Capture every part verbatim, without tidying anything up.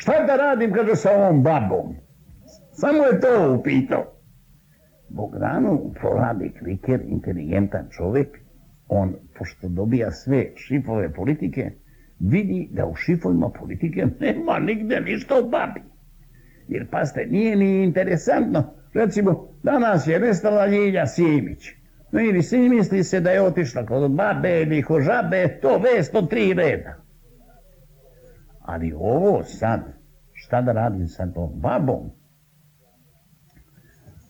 Šta da radim, kaže, sa ovom babom? Samo je to upitao. Bogdanu proradi kliker, inteligentan čovjek, on, pošto dobija sve šifove politike, vidi da u šifovima politike nema nigde ništa o babi. Jer, pazite, nije ni interesantno. Recimo, danas je nestala Ljilja Simić. No ili svi misli se da je otišla kod babe ili kod žabe, to vest od tri reda. Ali ovo sad, šta da radim sa tom babom?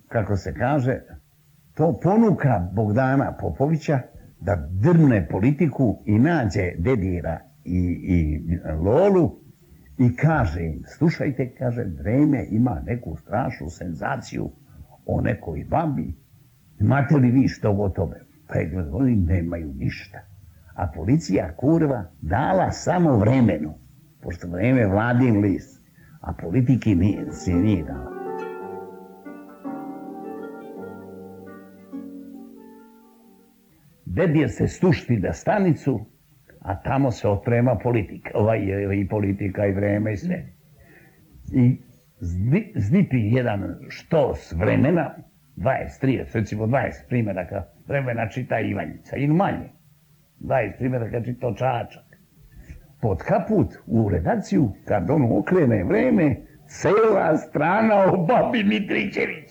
Kako se kaže, to ponuka Bogdana Popovića da drne politiku i nađe Dedira i, i Lolu i kaže im, slušajte, kaže, Vreme ima neku strašnu senzaciju o nekoj babi. Imate li vi što o tome? Pregled, oni nemaju ništa. A policija, kurva, dala samo Vremenu, pošto Vreme je vladin list, a politiki nije, se nije dala. Dedir se stušti na stanicu, a tamo se otprema politika, ovaj, i politika i Vreme i sve. I zdi, zdipi jedan štos Vremena, dvadeset, trideset, recimo dvadeset primjeraka Vremena čita Ivanjica, ili manje. dvadeset primjeraka čita Čačak. Pod kaput u redakciju, kad on okrene Vreme, cela strana o babi Mitričević.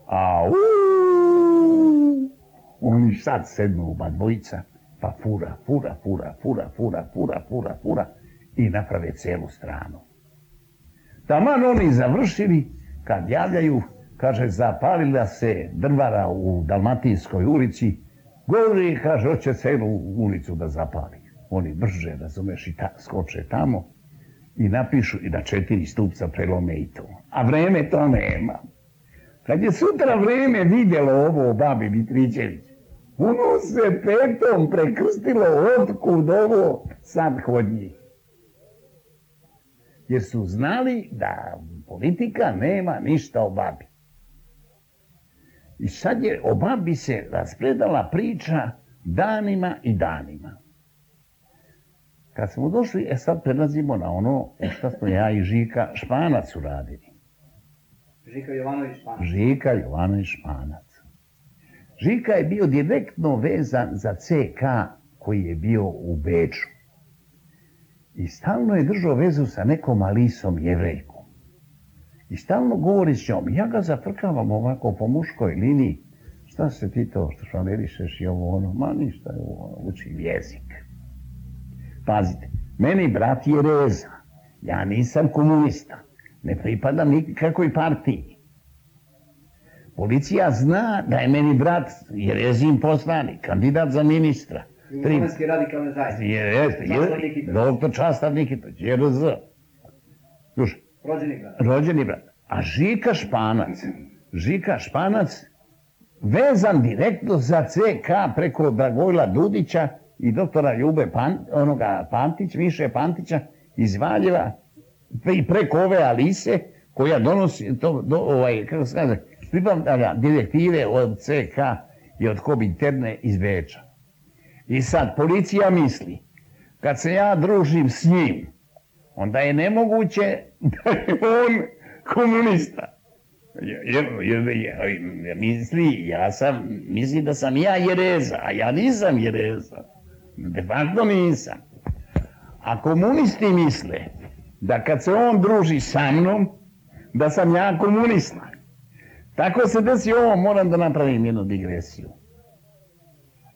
A uuu, oni sad sednu oba dvojica, pa fura, fura, fura, fura, fura, fura, fura, fura i naprave celu stranu. Taman oni završili, kad javljaju, kaže, zapalila se drvara u Dalmatinskoj ulici, govori, kaže, hoće celu ulicu da zapali. Oni brže, razumeš, i ta, skoče tamo i napišu i na četiri stupca prelome i to. A Vreme to nema. Kad je sutra Vreme vidjelo ovo o babi Mitričević, ono se petom prekrstilo otkud ovo sad kod njih. Jer su znali da politika nema ništa o babi. I sad je o babi se raspredala priča danima i danima. Kad smo došli, e sad prelazimo na ono što smo ja i Žika Španac uradili. Žika Jovanović Španac. Žika Jovanović Španac. Žika je bio direktno vezan za ce ka koji je bio u Beču. I stalno je držao vezu sa nekom Alisom Jevrejkom. I stalno govori s njom. Ja ga zafrkavam ovako po muškoj liniji. Šta se ti to što švalerišeš i ovo ono? Ma ništa, ovo, učim jezik. Pazite, meni brat je Reza. Ja nisam komunista. Ne pripadam nikakvoj partiji. Policija zna da je meni brat Jerezin poslanik, kandidat za ministra. Jugoslovenski radikalne zajednice. Jeste, jeste. Doktor Častar Nikitović, je er ze. Slušaj. Rođeni brat. Rođeni brat. A Žika Španac, Žika Španac, vezan direktno za ce ka preko Dragojla Dudića i doktora Ljube Pan, onoga Pantić, Miše Pantića iz Valjeva, i preko ove Alise, koja donosi, to, do, ovaj, kako se kaže, pripravlja direktive od ce ka i od Kominterne iz Beča. I sad, policija misli, kad se ja družim s njim, onda je nemoguće da je on komunista. Jer, jer, jer, jer misli, ja sam, misli da sam ja Jereza, a ja nisam Jereza. De facto nisam. A komunisti misle da kad se on druži sa mnom, da sam ja komunista. Tako se desi ovo, moram da napravim jednu digresiju.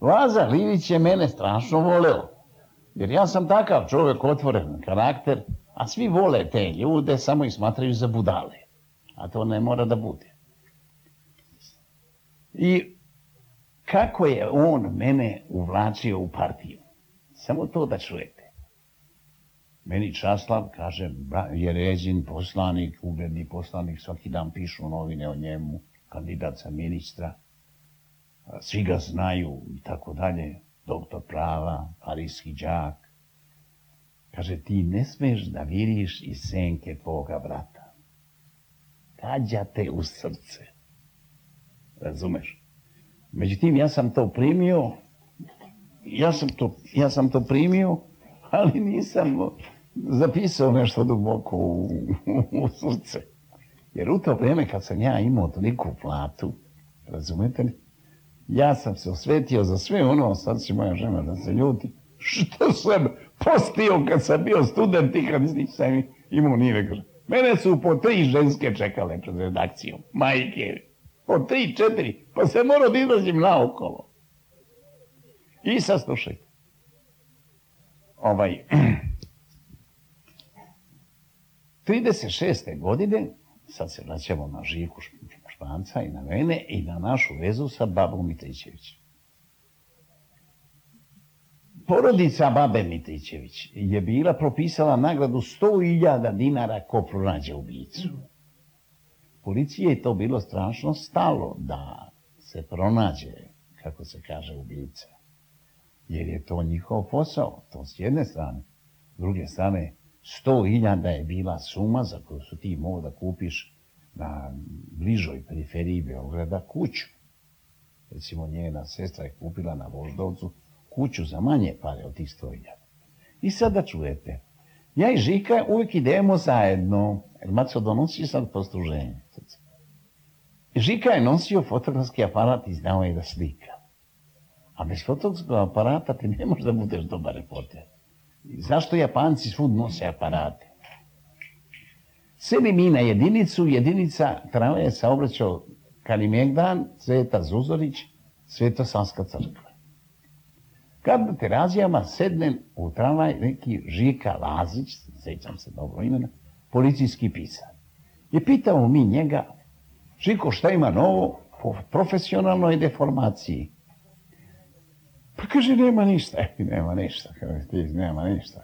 Laza Linić je mene strašno voleo, jer ja sam takav čovjek, otvoren karakter, a svi vole te ljude, samo ih smatraju za budale. A to ne mora da bude. I kako je on mene uvlačio u partiju? Samo to da čujete. Meni Časlav, kaže, Jerezin poslanik, ugledni poslanik, svaki dan pišu novine o njemu, kandidat za ministra, svi ga znaju i tako dalje, doktor prava, parijski đak. Kaže, ti ne smeš da viriš iz senke tvoga brata. Gađa te u srce. Razumeš? Međutim, ja sam to primio, ja sam to, ja sam to primio, ali nisam, zapisao nešto duboko u, u srce. Jer u to vrijeme kad sam ja imao toliku platu, razumete li, ja sam se osvetio za sve ono, sad će moja žena da se ljuti, što sam postio kad sam bio student i kad nisam imao ni nekada. Mene su po tri ženske čekale pred redakcijom, majke, po tri, četiri, pa se morao da izlazim naokolo. I sad slušajte. Ovaj, trideset šeste godine, sad se vraćamo na Žiku Španca i na mene i na našu vezu sa babom Mitričević. Porodica babe Mitričević je bila propisala nagradu sto hiljada dinara ko pronađe ubicu. Policiji je to bilo strašno stalo da se pronađe, kako se kaže, ubica. Jer je to njihov posao, to s jedne strane. S druge strane, sto hiljada je bila suma za koju su ti mogao da kupiš na bližoj periferiji Beograda kuću. Recimo, njena sestra je kupila na Voždovcu kuću za manje pare od tih sto hiljada. I sada čujete, ja i Žika uvijek idemo zajedno, jer Maco donosi sad postruženje. Žika je nosio fotografski aparat i znao je da slika. A bez fotografskog aparata ti ne možeš da budeš dobar reporter. Zašto Japanci svud nose aparate? Sedi mi na jedinicu, jedinica tramvaja se obraćao Kalimegdan, Sveta Zuzorić, Svetosavska crkva. Kad na terazijama sednem u tramvaj neki Žika Lazić, sećam se dobro imena, policijski pisar. I pitamo mi njega, Žiko, šta ima novo po profesionalnoj deformaciji? Pa kaže, nema ništa. E, nema ništa, kaže, ti nema ništa.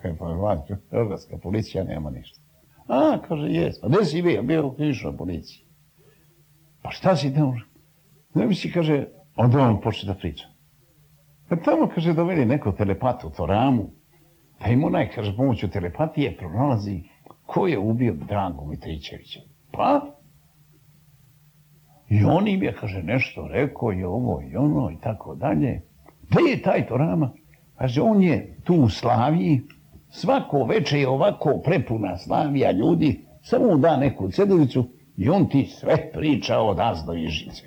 Hrvatska policija nema ništa. A, kaže, jes. Pa gdje si bio? Bio u krivičnoj policiji. Pa šta si tamo? Ne bi si, kaže, onda on počne da priča. Pa tamo, kaže, doveli neko telepatu u Toramu, pa im onaj, kaže, pomoću telepatije pronalazi ko je ubio Dragu Mitričevića. Pa? I on im je, kaže, nešto rekao i ovo i ono i tako dalje. Gdje je taj Torama? Kaže, on je tu u Slaviji, svako veče je ovako prepuna Slavija ljudi, samo mu da neku ceduljicu i on ti sve priča od Az do Ižice.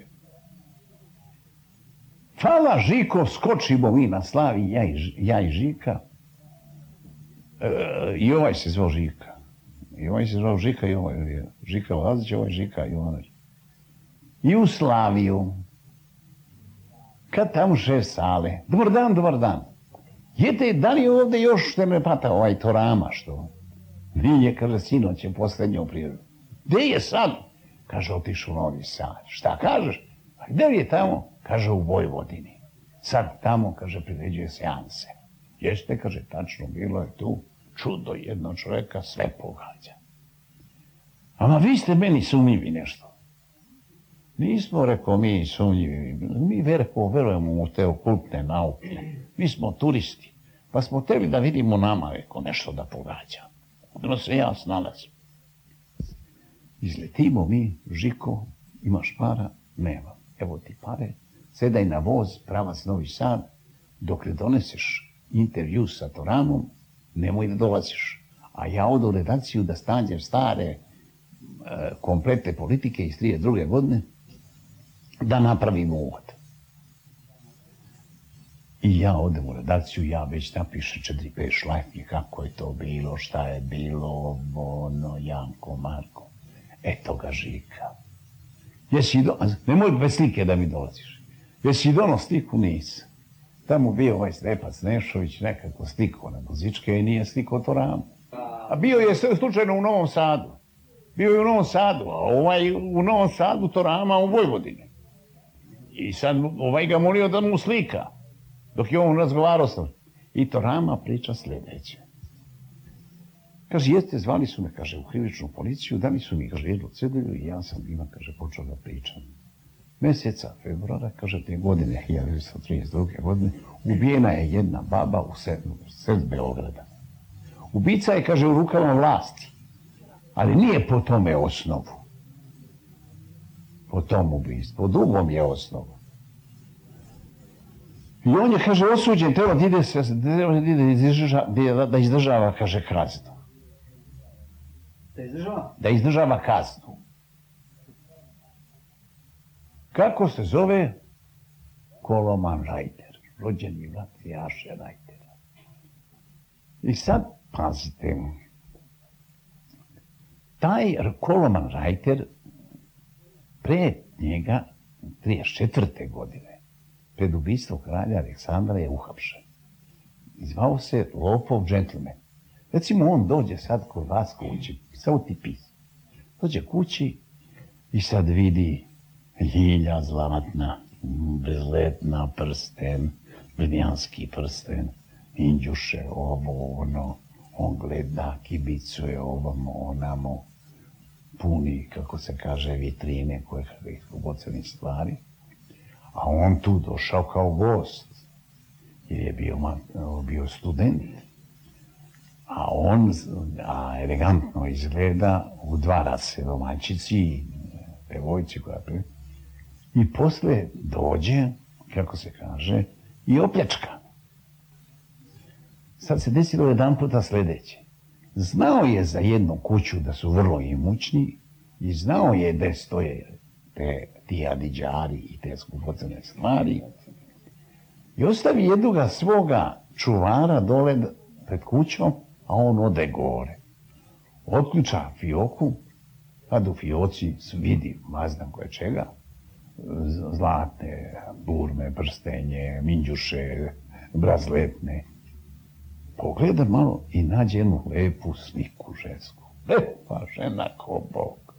Hvala Žiko, skočimo mi na Slavi, ja i, ja i Žika. E, I ovaj se zvao Žika. I ovaj se zvao Žika i ovaj je Žika Lazić, ovaj Žika i onaj. I u Slaviju. Kad tamo šef sale, dobar dan, dobar dan. Jete, da li je ovdje još telepata ovaj Torama, što? Nije, kaže, sinoć je posljednjo prirodu. Gdje je sad? Kaže, otišu u Novi Sad. Šta kažeš? A gdje je tamo? Kaže, u Vojvodini. Sad tamo, kaže, priređuje seanse. Jeste, kaže, tačno, bilo je tu čudo jednog čovjeka, sve pogađa. Ama vi ste meni sumnjivi nešto. Nismo, rekao, mi sumnjivi. Mi verko, verujemo u te okultne nauke. Mi smo turisti. Pa smo htjeli da vidimo nama, rekao, nešto da pogađa. Ono se ja snalazim. Izletimo mi, Žiko, imaš para? Nema. Evo ti pare, sedaj na voz, pravac Novi Sad, dok ne doneseš intervju sa Toramom, nemoj da dolaziš. A ja odu u redakciju da stanđem stare e, komplete politike iz trideset druge godine, da napravim uvod. I ja odem u redakciju, ja već napišem četiri pet šlajfnje, kako je to bilo, šta je bilo, ono, Janko, Marko. Eto ga Žika. Jesi do... Nemoj bez slike da mi dolaziš. Jesi dono sliku? Nisam. Tamo bio ovaj Stepac Nešović, nekako slikao na muzičke i nije slikao Toramu. A bio je sve slučajno u Novom Sadu. Bio je u Novom Sadu, a ovaj u Novom Sadu Torama u Vojvodini. I sad ovaj ga molio da mu slika. Dok je on razgovarao s njim. I Torama priča sljedeće. Kaže, jeste, zvali su me, kaže, u krivičnu policiju, dali su mi, kaže, jednu cedulju i ja sam njima, kaže, počeo da pričam. Mjeseca februara, kaže, te godine, hiljadu devetsto trideset druge. godine, ubijena je jedna baba u sred Beograda. Ubica je, kaže, u rukama vlasti, ali nije po tome osnovu. Po tom ubistvu, po drugom je osnovu. I on je, kaže, osuđen, treba da ide, da izdržava, kaže, kaznu. Da izdržava? Da izdržava kaznu. Kako se zove? Koloman Rajter, rođeni brat Jaše Rajtera. I sad, pazite, taj Koloman Rajter pre njega, trideset četvrte godine, pred ubistvo kralja Aleksandra je uhapšen. I zvao se Lopov džentlmen. Recimo, on dođe sad kod vas kući, samo ti pis. Dođe kući i sad vidi ljilja zlatna, bezletna prsten, brnjanski prsten, inđuše, ovo, ono, on gleda, kibicuje ovamo, onamo, puni, kako se kaže, vitrine koje kakvih bocenih stvari. A on tu došao kao gost, jer je bio, bio student. A on, a elegantno izgleda, udvara se domaćici, devojci koja pre... I posle dođe, kako se kaže, i opljačka. Sad se desilo jedan puta sledeće. Znao je za jednu kuću da su vrlo imućni i znao je da stoje te, ti adiđari i te skupocene stvari. I ostavi jednoga svoga čuvara dole pred kućom, a on ode gore. Otključa fioku, kad u fioci vidi, mazdan koje čega, zlatne burme, prstenje, minđuše, brazletne. Pogleda malo i nađe jednu lepu sliku žensku. Lepa žena ko Bog.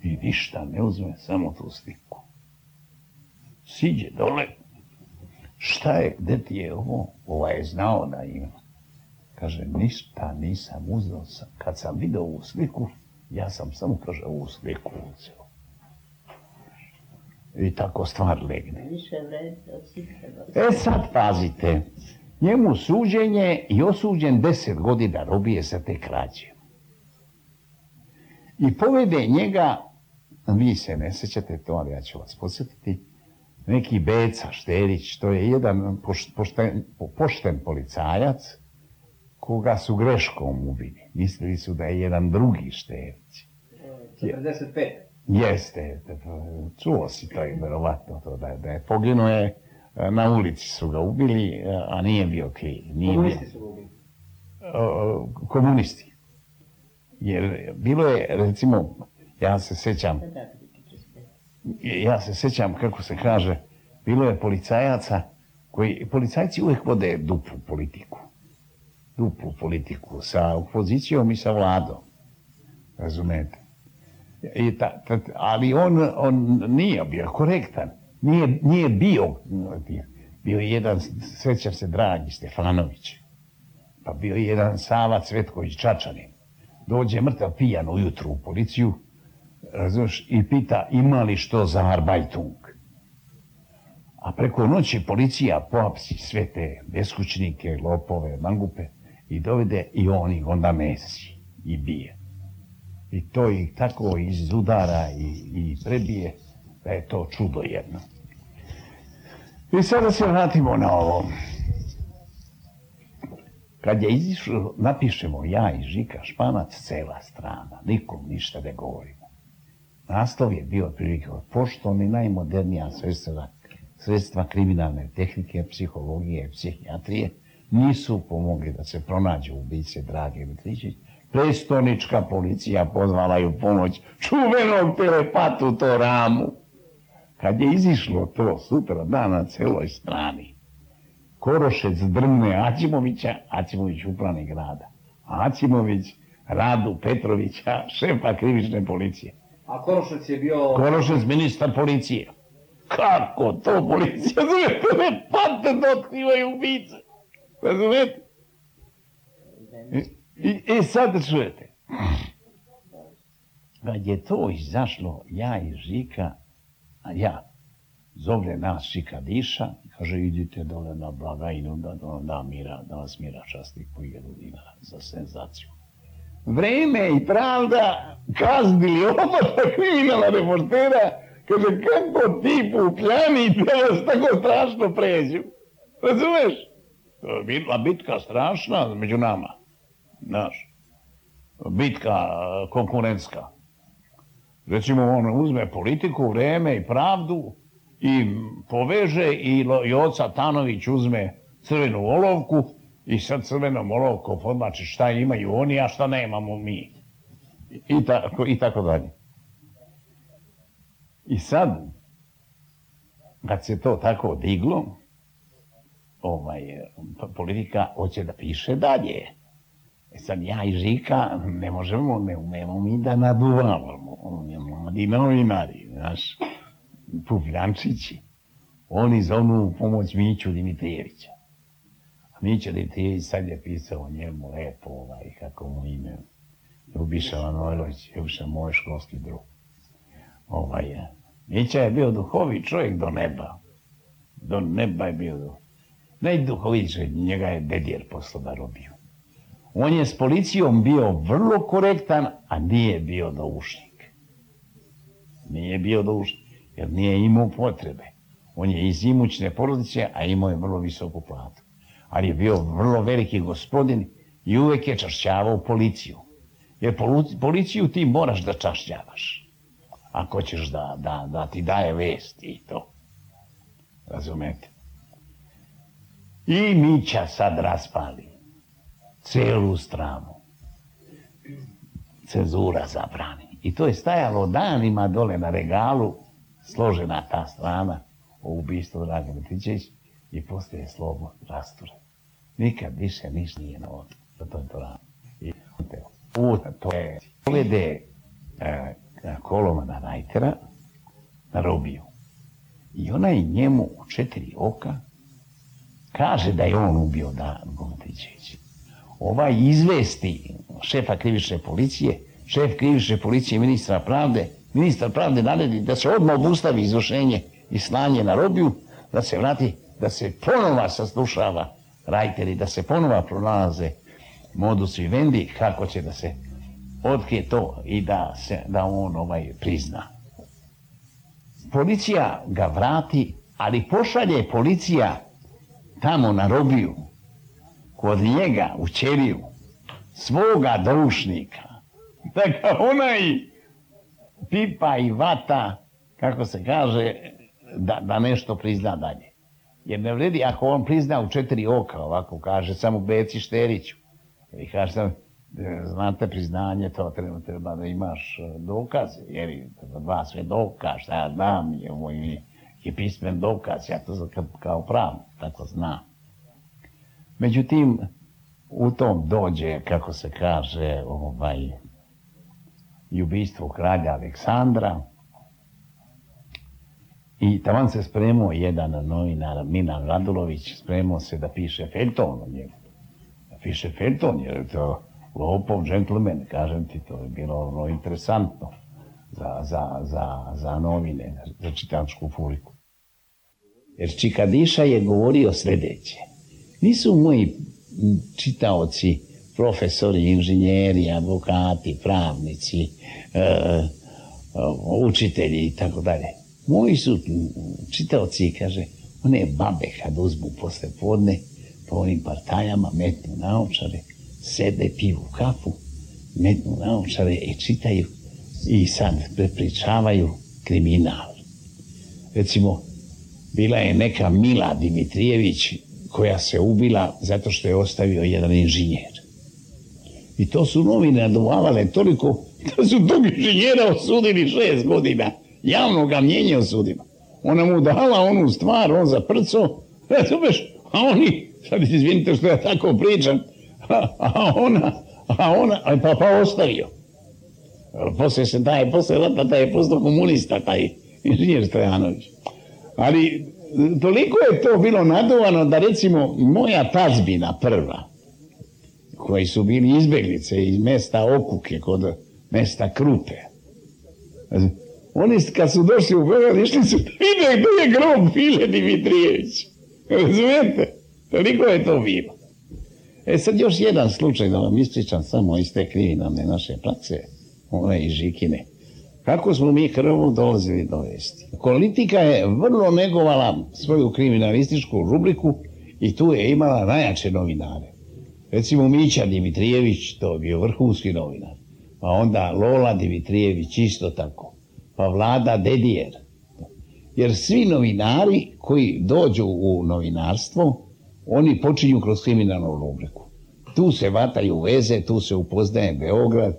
I ništa ne uzme, samo tu sliku. Siđe dole. Šta je, gde ti je ovo? Ova je znao da ima. Kaže, ništa nisam uzeo. Kad sam vidio ovu sliku, ja sam samo, kaže, ovu sliku uzeo. I tako stvar legne. E sad pazite, njemu suđenje i osuđen deset godina robije sa te krađe. I povede njega, vi se ne sećate to, ali ja ću vas podsjetiti, neki Beca Šterić, to je jedan pošten, pošten policajac, koga su greškom ubili. Mislili su da je jedan drugi Šterić. četrdeset pet. Jeste, čuo si to i verovatno to, da, da je poginuo je, na ulici su ga ubili, a nije bio kriv. Komunisti su ga ubili. Komunisti. Jer bilo je, recimo, ja se sećam, ja se sećam, kako se kaže, bilo je policajaca, koji, policajci uvijek vode duplu politiku. Duplu politiku sa opozicijom i sa vladom. Razumete? I ta, ta, ali on, on nije bio korektan. Nije, nije bio, bio je jedan, sećam se, Dragi Stefanović. Pa bio je jedan Sava Cvetković Čačanin. Dođe mrtav pijan ujutru u policiju, razumiješ, i pita ima li što za arbajtung. A preko noći policija pohapsi sve te beskućnike, lopove, mangupe i dovede i on ih onda mesi i bije. I to ih tako izudara i, i prebije da je to čudo jedno. I sada se vratimo na ovo. Kad je izišlo, napišemo ja i Žika Španac, cela strana, nikom ništa ne govorimo. Naslov je bio otprilike poštovni najmodernija sredstva, sredstva kriminalne tehnike, psihologije, psihijatrije nisu pomogli da se pronađu ubice Drage Mitričić. Prestonička policija pozvala ju pomoć čuvenog telepatu Toramu. Kad je izišlo to sutra dana na celoj strani, Korošec drgne Acimovića, Acimović upravnik grada. Acimović Radu Petrovića, šefa krivične policije. A Korošec je bio... Korošec ministar policije. Kako to policija zove? Telepate da otkrivaju ubice. Razumete? I, i sad čujete. Kad je to izašlo, ja i Žika, a ja, zove nas Žika Diša, kaže, idite dole na blagajnu da, da, da, mira, da vas mira časti po hiljadu dinara za senzaciju. Vreme i pravda kaznili oba kriminalna reportera, kaže, kako ti pupljani da vas tako strašno pređu. Razumeš? To je bila bitka strašna među nama. Znaš. bitka konkurentska. Recimo, on uzme politiku, vreme i pravdu i poveže i Joca Tanović uzme crvenu olovku i sa crvenom olovkom podmači šta imaju oni, a šta nemamo mi. I tako, i tako dalje. I sad, kad se to tako diglo, ovaj, politika hoće da piše dalje. E sad ja i Žika ne možemo, ne umemo mi da naduvavamo. Mladi novinari, znaš, pufljančići. Oni zovnu pomoć Miću Dimitrijevića. A Mića Dimitrijević sad je pisao njemu lepo, ovaj, kako mu ime, Ljubiša Manojlović, Ljubiša moj školski drug. Ovaj, Mića je bio duhovit čovjek do neba. Do neba je bio do... Najduhovit čovjek, njega je Dedjer poslao da robiju. On je s policijom bio vrlo korektan, a nije bio doušnik. Nije bio doušnik, jer nije imao potrebe. On je iz imućne porodice, a imao je vrlo visoku platu. Ali je bio vrlo veliki gospodin i uvek je čašćavao policiju. Jer policiju ti moraš da čašćavaš. Ako ćeš da, da, da ti daje vesti i to. Razumete? I Mića sad raspali celu stranu. Cenzura zabrani. I to je stajalo danima dole na regalu, složena ta strana o ubistvu Dragana Matićevića i poslije je slovo rasture. Nikad više ništa nije na odu. To je to rano. I to je povede e, Kolomana Rajtera na robiju. I ona je njemu u četiri oka kaže da je on ubio Dragana Matićevića. Ovaj izvesti šefa krivične policije, šef krivične policije ministra pravde, ministar pravde naredi da se odmah obustavi izvršenje i slanje na robiju, da se vrati, da se ponova saslušava Rajter i da se ponova pronalaze modus vivendi kako će da se otkrije to i da, se, da on ovaj prizna. Policija ga vrati, ali pošalje policija tamo na robiju, kod njega u ćeliju, svoga doušnika. Tako onaj pipa i vata, kako se kaže, da, da nešto prizna dalje. Jer ne vredi ako on prizna u četiri oka, ovako kaže, samo Beci Šteriću. I kaže sam, znate, priznanje, to treba, treba da imaš dokaze, jer dva sve dokaz, šta ja znam, je, je, je pismen dokaz, ja to kao pravno, tako znam. Međutim, u tom dođe, kako se kaže, ovaj, i ubistvo kralja Aleksandra. I taman se spremao jedan novinar, Milan Radulović, spremao se da piše feljton o njemu. Da piše feljton, jer je to lopov džentlmen, kažem ti, to je bilo ono interesantno za, za, za, za novine, za čitačku publiku. Jer Čikadiša je govorio sljedeće. Nisu moji čitaoci, profesori, inženjeri, advokati, pravnici, e, učitelji i tako dalje. Moji su čitaoci, kaže, one babe kad uzmu posle podne, po onim partajama, metnu naočare, sede, piju kafu, metnu naočare i čitaju i sad prepričavaju kriminal. Recimo, bila je neka Mila Dimitrijević koja se ubila zato što je ostavio jedan inženjer. I to su novine naduvavale toliko da su tog inženjera osudili šest godina. Javno ga mnjenje osudilo. Ona mu dala onu stvar, on zaprco, razumeš, a oni, sad izvinite što ja tako pričam, a, a ona, a ona, a pa, pa ostavio. Poslije se daje, poslije rata da je postao komunista, taj inženjer Stojanović. Ali toliko je to bilo naduvano da recimo moja tazbina prva, koji su bili izbjeglice iz mesta Okuke, kod mesta Krupe, oni kad su došli u Beograd, išli su da vide gdje je grob File Dimitrijević. Razumijete? Toliko je to bilo. E sad još jedan slučaj da vam ispričam samo iz te kriminalne naše prakse, ove i Žikine. Kako smo mi krvo dolazili do vesti? Politika je vrlo negovala svoju kriminalističku rubriku i tu je imala najjače novinare. Recimo Mića Dimitrijević, to je bio vrhunski novinar. Pa onda Lola Dimitrijević, isto tako. Pa Vlada Dedijer. Jer svi novinari koji dođu u novinarstvo, oni počinju kroz kriminalnu rubriku. Tu se vataju veze, tu se upoznaje Beograd,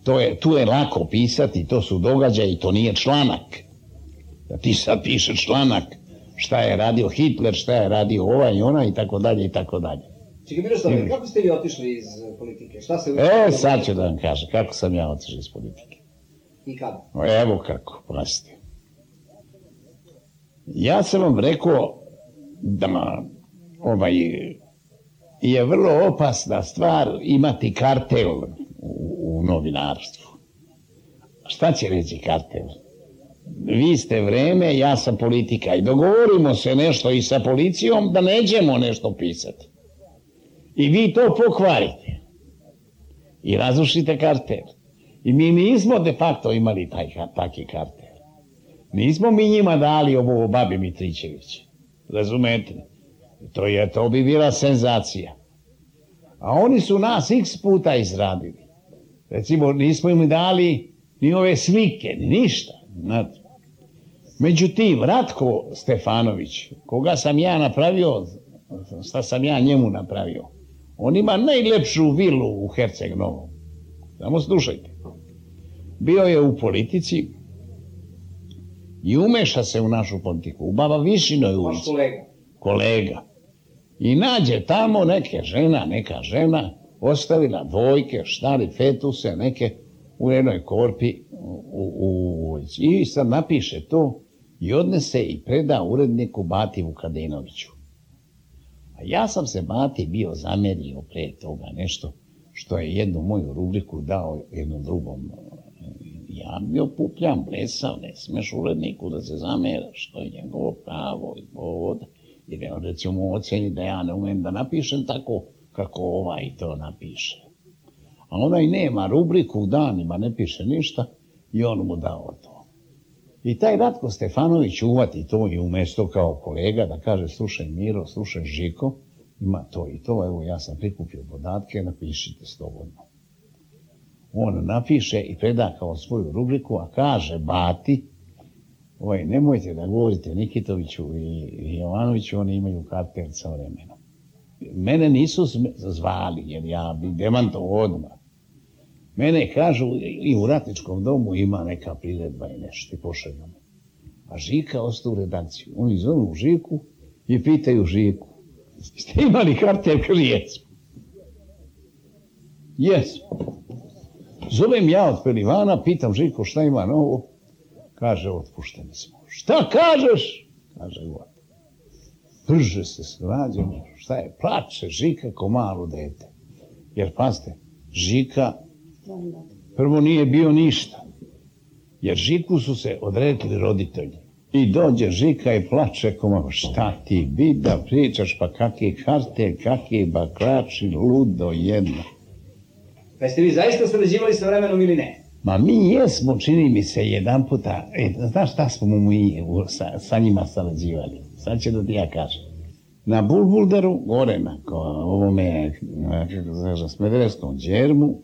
to je, tu je lako pisati, to su događaji, to nije članak. Da ti sad piše članak šta je radio Hitler, šta je radio ovaj i ona i tako dalje i tako dalje. Čekaj, Miroslav, kako ste vi otišli iz politike? Šta se... E, sad ću da vam kažem, kako sam ja otišao iz politike. I kada? Evo kako, pazite. Ja sam vam rekao da ovaj, je vrlo opasna stvar imati kartel u, u novinarstvu. Šta će reći kartel? Vi ste vreme, ja sam politika i dogovorimo se nešto i sa policijom da nećemo nešto pisati. I vi to pokvarite. I razrušite kartel. I mi nismo de facto imali taj, taki kartel. Nismo mi njima dali ovo babi Mitričević. Razumete? To, je, to bi bila senzacija. A oni su nas x puta izradili. Recimo, nismo im dali ni ove slike, ni ništa. Znate. Međutim, Ratko Stefanović, koga sam ja napravio, šta sam ja njemu napravio, on ima najlepšu vilu u Herceg Novom. Samo slušajte. Bio je u politici i umeša se u našu politiku. U Baba Višinoj ulici. kolega. Kolega. I nađe tamo neke žena, neka žena, ostavila dvojke, štari fetuse, neke u jednoj korpi u, u ulici. I sad napiše to i odnese i preda uredniku Bati Vukadinoviću. A ja sam se Bati bio zamerio pre toga nešto, što je jednu moju rubriku dao jednom drugom. Ja bio pupljam, blesav, ne smeš uredniku da se zameraš, to je njegovo pravo i povod. Jer je on recimo oceni da ja ne umem da napišem tako kako ovaj to napiše. A onaj nema rubriku, danima ne piše ništa i on mu dao to. I taj Ratko Stefanović uvati to i umjesto kao kolega da kaže slušaj Miro, slušaj Žiko, ima to i to, evo ja sam prikupio podatke, napišite slobodno. On napiše i preda kao svoju rubriku, a kaže Bati, oj, nemojte da govorite Nikitoviću i Jovanoviću, oni imaju kartel sa vremenom. Mene nisu zvali, jer ja bi demantovao odmah. Mene kažu i u Ratničkom domu ima neka priredba i nešto i pošalju me. A Žika ostao u redakciju. Oni zovu Žiku i pitaju Žiku. Ste imali kartel? Kaže, jesmo. Jesmo. Zovem ja od Pelivana, pitam Žiku šta ima novo. Kaže, otpušteni smo. Šta kažeš? Kaže, god. Brže se srađamo. Šta je? Plače Žika ko malo dete. Jer, pazite, Žika prvo nije bio ništa. Jer Žiku su se odrekli roditelji. I dođe Žika i plače ko malo. Šta ti bi da pričaš, pa kakvi kartel, kakvi baklači, ludo jedno. Pa jeste vi zaista sarađivali sa vremenom ili ne? Ma mi jesmo, čini mi se, jedan puta, e, znaš šta smo mu mi sa, sa njima sarađivali? Sad će da ti ja kažem. Na Bulbulderu, gore na ovome, kako se kaže, Smederevskom džermu,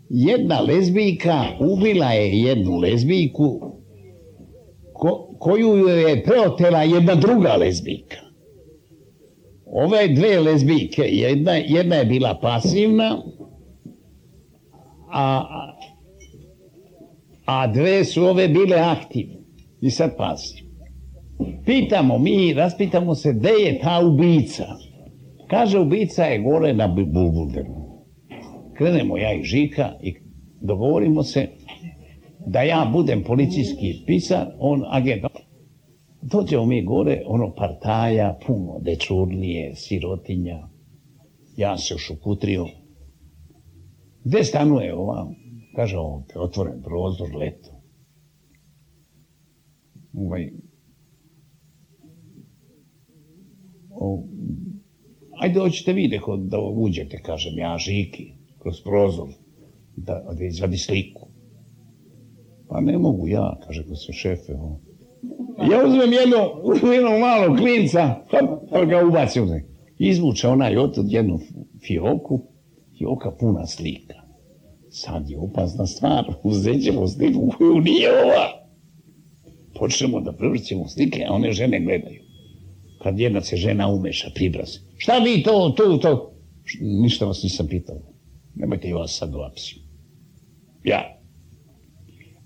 jedna lezbijka ubila je jednu lezbijku ko, koju je preotela jedna druga lezbijka. Ove dve lezbijke, jedna, jedna je bila pasivna, a... a dve su ove bile aktivne. I sad pazi. Pitamo mi, raspitamo se gde je ta ubica. Kaže, ubica je gore na Bulbulderu. Krenemo ja i Žika i dogovorimo se da ja budem policijski pisar, on agent. Dođemo mi gore, ono partaja, puno dečurnije, sirotinja. Ja se ušukutrio. Gde stanuje ova? Kaže, ovdje, otvoren prozor, leto. Ovaj... O, ajde, hoćete vi da uđete, kažem ja, Žiki, kroz prozor, da, da izvadi sliku. Pa ne mogu ja, kaže ko se šefe. O. Ja uzmem jedno, jedno malo klinca, pa, pa ga ubacim. Izvuče onaj otud jednu fioku, fioka puna slika. Sad je opasna stvar, uzet ćemo sliku koju nije ova. Počnemo da prevrćemo slike, a one žene gledaju. Kad jedna se žena umeša, pribra se. Šta vi to, to, to? Ništa vas nisam pitao. Nemojte i vas sad dovapsi. Ja.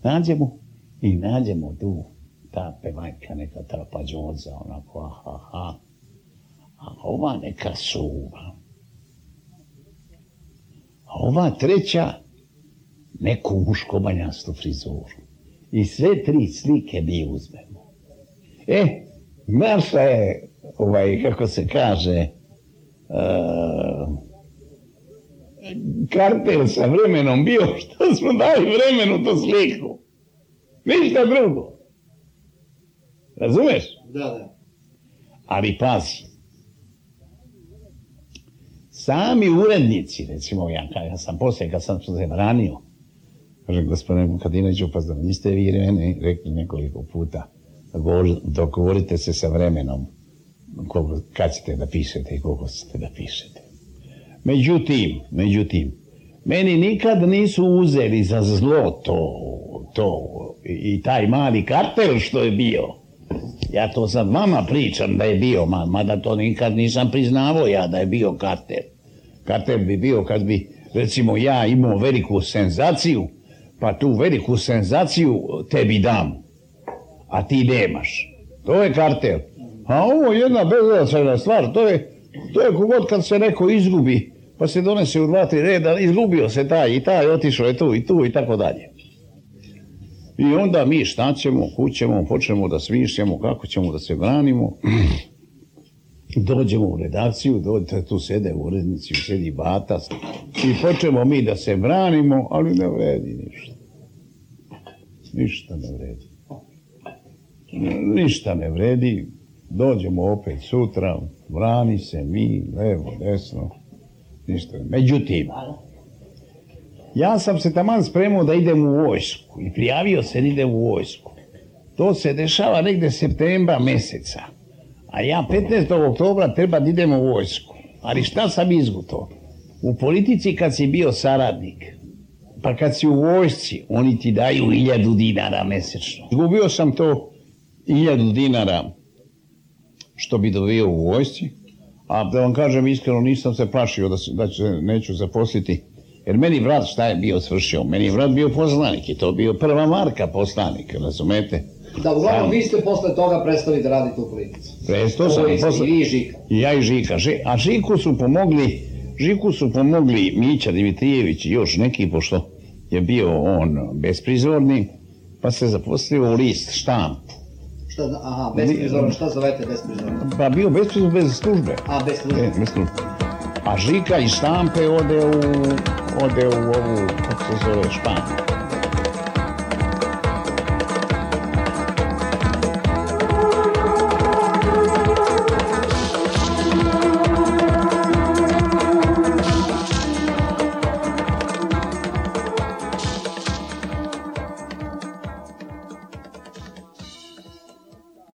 Nađemo i nađemo tu ta pevajka, neka trapađoza, onako, aha, aha. A ova neka suva. A ova treća, neku muškobanjastu frizuru. I sve tri slike mi uzmemo. E, naša je, ovaj, kako se kaže, uh, kartel sa vremenom bio, što smo dali vremenu tu sliku. Ništa drugo. Razumeš? Da, da. Ali pazi. Sami urednici, recimo ja, ja sam poslije, kad sam se branio, kažem, gospodine Vukadinoviću, pa znam, niste vi mene rekli nekoliko puta, dogovorite se sa vremenom koliko, kad ćete da pišete i koliko ćete da pišete. Međutim, međutim, meni nikad nisu uzeli za zlo to, to i taj mali kartel što je bio. Ja to sad vama pričam da je bio, mada to nikad nisam priznavao ja da je bio kartel. Kartel bi bio kad bi, recimo, ja imao veliku senzaciju, pa tu veliku senzaciju tebi dam, a ti nemaš. To je kartel. A ovo je jedna beznačajna stvar, to je, to je kogod kad se neko izgubi, pa se donese u dva, tri reda, izgubio se taj i taj, otišao je tu i tu i tako dalje. I onda mi šta ćemo, kućemo, počnemo da smišljamo kako ćemo da se branimo. Dođemo u redakciju, dođete, tu sede urednici, sedi Bata i počnemo mi da se branimo, ali ne vredi ništa. Ništa ne vredi. Ništa ne vredi. Dođemo opet sutra, brani se mi, levo, desno, ništa. Međutim, ja sam se taman spremao da idem u vojsku i prijavio se da idem u vojsku. To se dešava negde septembra meseca, a ja petnaestog oktobra treba da idem u vojsku. Ali šta sam izgutao? U politici kad si bio saradnik, pa kad si u vojsci, oni ti daju hiljadu dinara mesečno. Izgubio sam to hiljadu dinara što bi dobio u vojsci, a da vam kažem iskreno, nisam se plašio da, se, da će, neću zaposliti. Jer meni vrat šta je bio svršio? Meni je vrat bio poslanik i to bio prva marka poslanika, razumete? Da, uglavnom, vi ste posle toga prestali da radite u politici. Prestao sam. Posle... I Žika. I ja i Žika. A Žiku su pomogli, Žiku su pomogli Mića Dimitrijević i još neki, pošto je bio on besprizorni, pa se zaposlio u list štamp. Šta, aha, besprizorno, šta zovete besprizorno? Pa bio besprizorno bez službe. A, bez službe. E, bez službe. A Žika iz štampe ode u, ode u ovu, kako se zove, Španiju.